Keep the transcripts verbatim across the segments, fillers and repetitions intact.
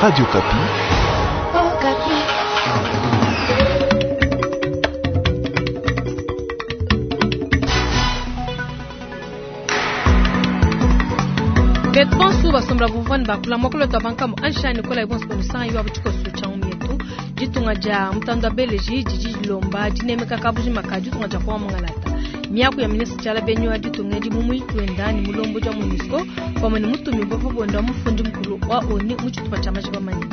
Radio Okapi. Okapi. Betu bonso basombela bumvua ne bakula muakulu wetu wa bankamu anshani kola ibonso bamusanga iwa butshikoso tshia mietu ditunga dia mutanda wa beleji didi dilomba dinemeka kabujima ka ditunga dia kwa mungalata miaku ya ministre Tshiala Benyi wa ditunga edi mu muyiki wenda ne mulombodi wa MONUSCO pamue ne mutumi bua bonda wa mufundi mukulu wa ONU mu tshitupa tshia majiba manene.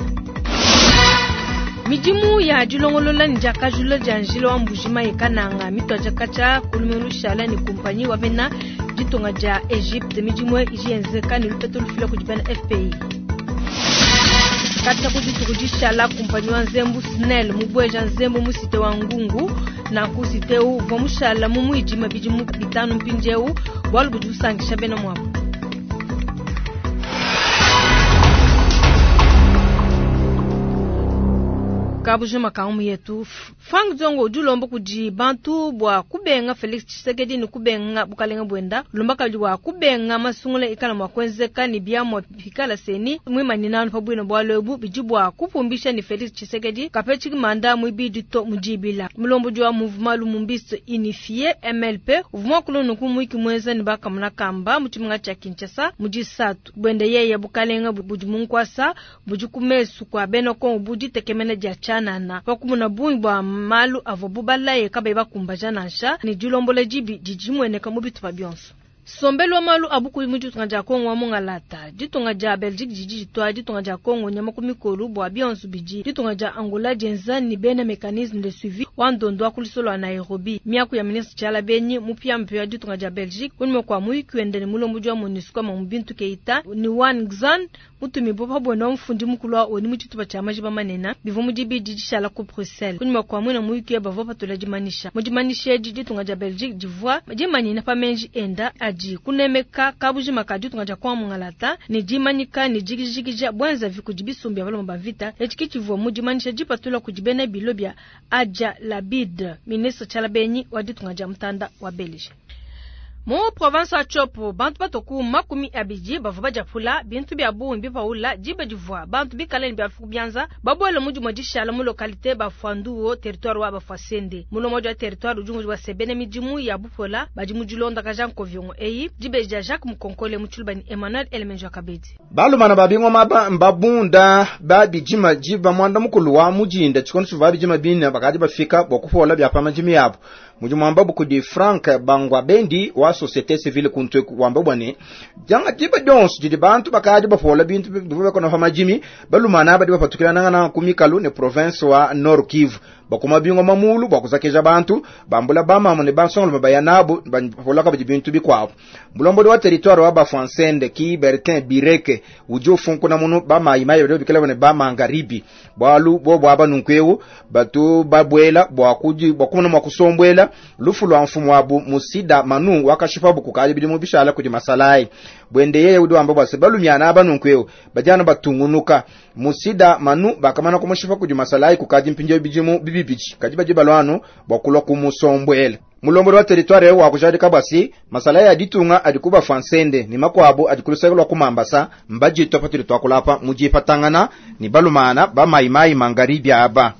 Midimu ya dilongolola ne diakajula dia njila wa Mbuji-Mayi Kananga mituadija katshia ku lumingu lushala ne kumpanyi wa bena ditunga dia Egypte midimu idi yenzeka ne lupeto lufila kudi bena F P I. Katshia ku dituku dishala kumpanyi wa nzembu SNEL mubueja nzembu mu site wa Ngungu nanku site uvua mushala mu muidima bidimu bitanu mpindieu bualu budi busankisha bena muabu. Kabujima ka umu yetu Frank Diongo udi ulomba kudi bantu bua kubenga Felix Tshisekedi ne kubenga bukalenga bwenda ulomba kabidi bua kubenga masungula ikala mua kuenzeka ne biamua bikala seni muimanyina anu pa bwina bualu ebu bidi bua kupumbisha ne Felix Tshisekedi kapetshi manda muibidi to mudibila mulombodi wa mouvement Lumumbiste Unifié M L P uvua muakula nunku muiki muenza ne bakamuna kamba mu tshimenga tshia Kinshasa mu disatu bwenda yeye bukalenga budi mu nkuasa budi ku mesu kua bena Kongo budi tekemena dia tshianana pakumuna bungi bua malu avua bubalaye kabayi bakumbaja nansha ne dilombola dibi didi dimueneka mu bitupa bionso. Sombelo wa malu abuku mu ditunga dia Kongo wa mungalata ditunga dia Belgique didi ditua ditunga dia Kongo nyama ku mikolo bua bionso bidi ditunga dia Angola dienza ni bena mécanisme de suivi wa ndondo wa kulisolo wa Nairobi miaku ya ministre Tshiala Benyi mupia mpia ditunga dia Belgique kunyima kua muyiki wende ne mulombodi wa MONUSCO ma Bintu Keita ni Wan Xan mutumi bo pa bwenda wa mufundi mukulu wa ONU mu tshitupa tshia majiba manene bivua mu dibidi dishala ku Bruxelles kunyima kua mwina muyiki ya bavua patula dimanisha mu dimanisha edi ditunga dia Belgique divua dimanyina pa menji enda adi kunemeka kabujima ka ditunga dia kwa mungalata ne dimanyika ne jigijigija bwenza vi kudi bisumbi ya baloma ba vita etshi kitshivua mu dimanisha dipatula kudi bena bilo bia Adja Labid ministre Tshiala Benyi wa ditunga dia mutanda wa Belgique. Mu province wa Tshopo bantu batoku makumi abidi bavua badiapula bintu bia bungi bipaula diba divua bantu bikale ne biafu bianza babuele mu dimue dishala mu localité Bafuanduo territoire wa Bafuasende mulomo wa territoire udi wa sebene midimu ya bupola badi mu dilonda ka nkoviongo eyi dibeji dia Jacques Mukonkole mu Tshiluba ni Emmanuel Elemenjo Kabedi balumana babingoma ba mbabunda babijima jiba mwanda mukulu wa mujinda tshikondo tshiva bijima bina bakadi bafika bwa kupola bya pamajimi yabo mujimu wamba bukudi Frank Bangwa Bendi wa société civile kuntwe wamba bwane janga jiba dons didi bantu bakadi bafola bintu bivuye kono famajimi balumana badi bapatukira nangana kumikalu ne province wa Nord Kivu bakuma bingo mamulu bakuzakeja bantu bambula bamama ne bansongolo bayanabo bafola kabidi bintu bikwabo mulombodi wa territoire wa Bafuansende ki Bertin Bireke ujo funkuna munu bamayi mayi bado bikela bane bamangaribi bwalu bo bwaba nunkweu batu babwela bwakuji bwakumuna mwakusombwela lufu lwa mfumo wabu musida manu wakashipa bukukali bidi mu bishala kudi masalai bwende yeye udi wamba bwase balumyana abanunkweu bajana batungunuka musida manu bakamana kumushipa kudi masalai kukaji mpinjo bijimu bibibiji kaji baji balwanu bwakulwa kumusombwela mulombodi wa territoire wa kujadika bwasi masalai aditunga adikuba fansende ni makwabo adikulusakilwa kumambasa mbajitwa patuli twakulapa mujipatangana ni balumana bamayimayi mangaribi aba.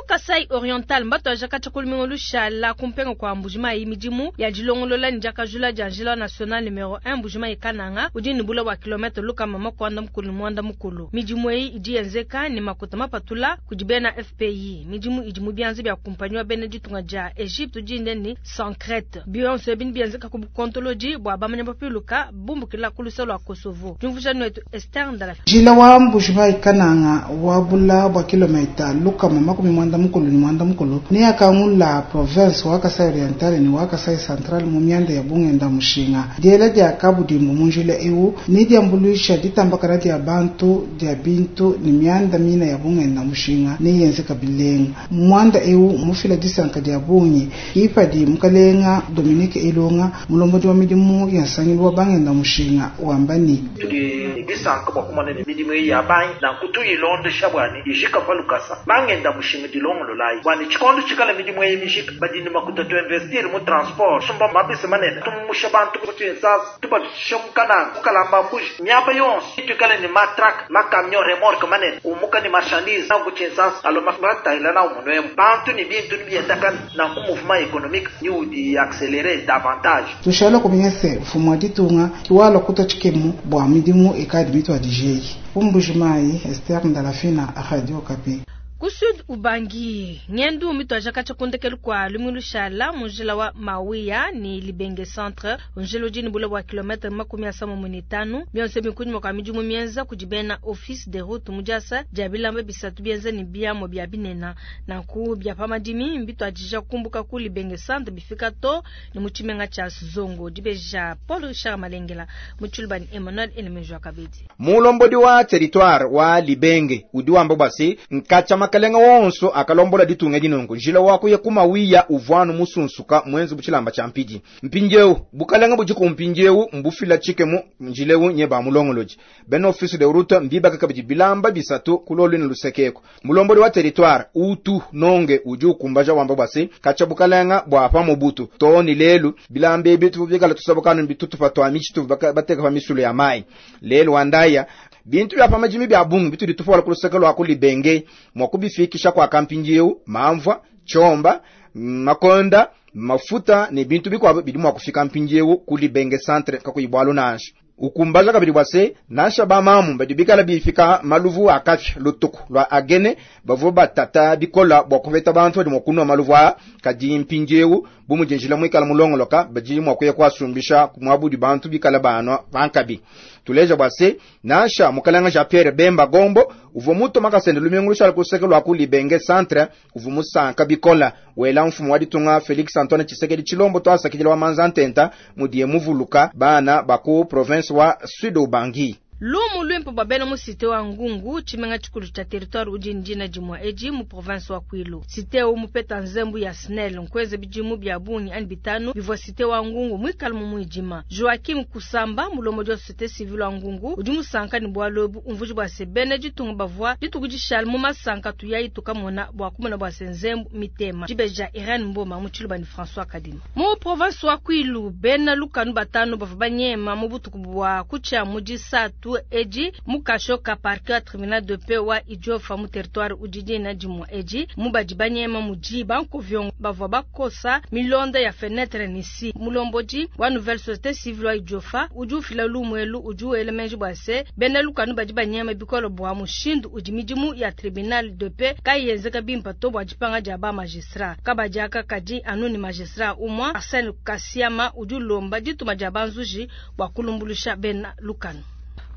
Kasai Oriental mbato ajaka chakulumingo lushala kumpenga kwa Mbuji-Mayi midimu ya dilongolola ni jakajula dia njila national numero un Mbuji-Mayi Kananga udi ni bula wa kilometre luka mama kwanda mukulu mwanda mukulu midimu eyi idi yenzeka ni makuta mapatula kudi bena F P I midimu idi mu bianza bia kumpanyi wa bena ditunga dia Egypte udi ndeni Sancrete bionso ebini bienzeka ku bukontoloji bua bamanya bapiluka bumbukila ku lusalo lwa Kosovo jumvuja nwetu Esther Ndala njila wa Mbuji-Mayi Kananga wa bula bwa kilometre luka mama kumi mwanda mukulu ni mwanda mukulu ni akangula province wa Kasai Oriental ni wa Kasai Central mu myanda ya bungenda mushinga diela dia kabudimbu munjila ewu ni diambuluisha ditambakana dia bantu dia bintu ni myanda mina ya bungenda mushinga ni yenze kabilenga mwanda ewu mufila disanka dia bungi ipadi mukalenga Dominique Ilunga mulombodi wa midimu ya nsangilu wa bangenda mushinga wambani tudi disanka bwa kumana ni midimu ya bangi na kutu ilonde shabwani ijika palukasa bangenda mushinga dilonde Tulongololayi bua ne tshikondo tshikala midimu eyi mijika badi ne makuta tuinvestir mu transport sumba mabisi manene tumusha bantu ku Kinshasa tubafikisha mu Kananga mu Kalamba Mbuji miaba yonso tuikale ne matrack macamion remorque manene umuka ne marchandise ku Kinshasa alo matahila na umunwemu bantu ni bintu ni biendakana nanku mouvement économique ni udi accélérer davantage. Tushala kumenya se mfumu wa ditunga kiwala kuta tshikemu bua midimu ekadi mitu adijeyi Mbuji-Mayi, Esther Ndalafina, Radio Okapi. Ku Sud Ubangi ngendu mitwaja kacha kundekelu kwa lumilu shala munjila wa Mawiya ni Libenge Centre unjila udi ni bule bua kilometre makumi asamo mune tanu bionse bikunyuma kwa midimu mienza kudibena office de route mujasa dia bilamba bisatu bienza ni biamo bia binena nanku bia pamadimi mbitwajija kumbuka ku Libenge Centre bifika to ni muchimenga cha Zongo dibeja Paul Richard Malengela muchulubani Emmanuel Elemejwa Kabedi mulombodi wa territoire wa Libenge udi wamba bwasi nkacha makalenga wonso akalombola ditunga dinongo njila wako ye kumawiya uvwanu musunsuka mwenzi buchilamba cha mpidi mpinjewu bukalenga bujiku mpinjewu mbufila chikemu njilewu nye ba mulongoloji ben office de route mbibaka kabidi bilamba bisatu kulolwini lusekeko mulombodi wa territoire utu nonge uji ukumbaja wamba bwasi kacha bukalenga bwa pa mubutu toni lelu bilamba ebi tubikala tusabukanu bitutu patwa michitu bateka pa misulu ya mai lelu wandaya bintu bya pamajimi bya bungi bitu ditufola kuluseke lwa kulibenge mwakubifikisha kwa kampinjiu mamvwa chomba makonda mafuta ne bintu bikwabo bidi mwakufika mpinjiu kulibenge centre kakuyibwalo nansha ukumbaja kabidi bwase nansha bamamu badi bikala bifika maluvu akafya lutuku lwa agene bavu batata bikola bwa kupeta bantu badi mwakunwa maluvu a kadi mpinjewu bumujinjila mwikala mulongoloka badi mwakuya kwasumbisha kumwabudi bantu bikala banwa bankabi tuleja bwase nansha mukalanga Jean Pierre Bemba Gombo uvo muto makasende lumingu lushala kuseke lwa kulibenge centre uvo musanka bikola wela mfumu wa ditunga Felix Antoine Tshisekedi Tshilombo twasakidila wa manza ntenta mudiye muvuluka bana baku province wa Sud Ubangi. Lumu lwimpo babena mu cité wa Ngungu chimenga chikulu cha territoire udi ndina jimwa eji mu province wa Kwilu. Cité u mupeta nzembu ya Snell nkweze bijimu bya bungi ani bitanu bivwa cité wa Ngungu mwikala mu mwijima. Joachim Kusamba mulomo jo cité civile wa Ngungu udi musanka ni bwalobu umvuji bwa sebene jitunga bavwa jitukujishal mu masanka tuyayi tukamona bwa kumona bwa senzembu mitema. Jibeja Irene Mboma mu Tshiluba ni François Kadima. Mu province wa Kwilu bena lukanu batanu bavwa banyema mu butuku bwa kucha muji satu eji mukashoka parquet ya tribunal de paix wa Idiofa mu territoire ujiji na jimwa eji mubadi banyema muji bankovyongo bavwa bakosa milonda ya fenêtre nisi mulomboji wa nouvelle société civile wa Idiofa udi ufila lumwelu udi uelemenji bwase bena lukanu badi banyema bikolo bwa mushindu udi midimu ya tribunal de paix kayenzeka bimpa to bwa dipanga dia ba magistrat kabadiaka kadi anuni magistrat umwa Arsène Kasiama udi ulomba dituma dia banzuji bwa kulumbulusha bena lukanu.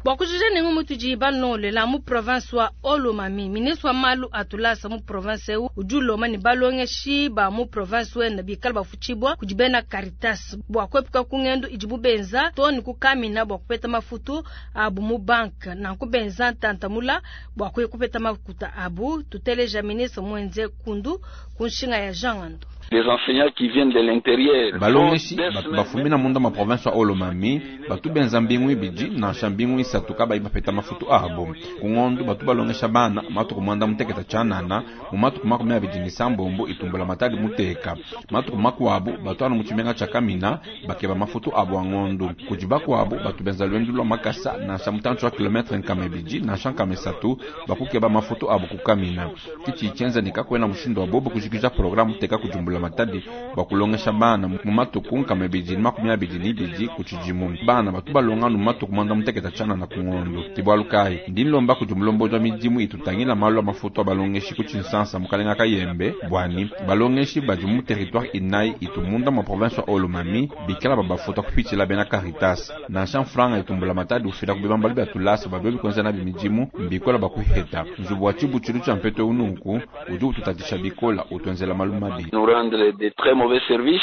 Bwa kujija nengu mutuji banolela mu province wa Olomami ministre wa malu atulasa mu province eu udi ulomba ni balongeshi ba mu province wenda bikala bafuchibwa kudi bena Caritas bwa kwepuka kungendo idibu benza to ni kukamina bwa kupeta mafutu abu mu bank na kubenza ntantamula bwa kupeta makuta abu tuteleja ministre mwenze kundu kunshinga ya Jean Ando. Les enseignants qui viennent de l'intérieur balongeshi batu bafumina munda ma province wa Olomami batu benza mbingu ibidi nansha mbingu isatu kabayi bapeta mafutu abo kungondu batu balongesha bana matuku mwanda muteketa chanana mu matuku makumi abidi ni sambombo itumbula matadi muteka matuku makuabu batu anu muchimenga cha kamina bakeba mafutu abo angondu kudi bakuabu batu benza lwendu lwa makasa nansha mutanchu wa kilometre nkama ibidi nansha nkama isatu bakukeba mafutu abo kukamina kichi ichenza nikakwena mushindo wa bobo kujikija programu teka kujumbula matadi bakulongesha bana mu matuku nkama ibidi makumi abidi ni ibidi kuchijimu bana batu balonga nu matuku mwanda muteketa chana na kungondo tibwalukai ndinlomba kuti mulomboji wa midimu itutangila malu a mafutu a balongeshi ku Tshinsansa mukalenga kayembe bwani balongeshi badi mu territoire inayi itumunda ma province wa Olomami bikala babafuta kupitshila bena Caritas nansha mfranga itumbula matadi ufila kubibambalu bya tulasa babyo bikonza na bimidimu mbikola bakuheta nzubu wa tshibutshilu tshia mpeto ununku udi ututatisha bikola utwenzela malu mabi nous rendre de très mauvais services.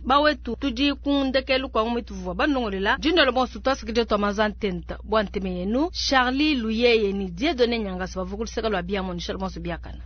Bawetu tudi kundekelu kwa umituvwa banongolela jindolo bonso twasikije twa mazantenta bwa nteme yenu Charlie Luyeye ni Dieudonné Nyangasa bavukuliseka lwa bia monisha bonso biakana.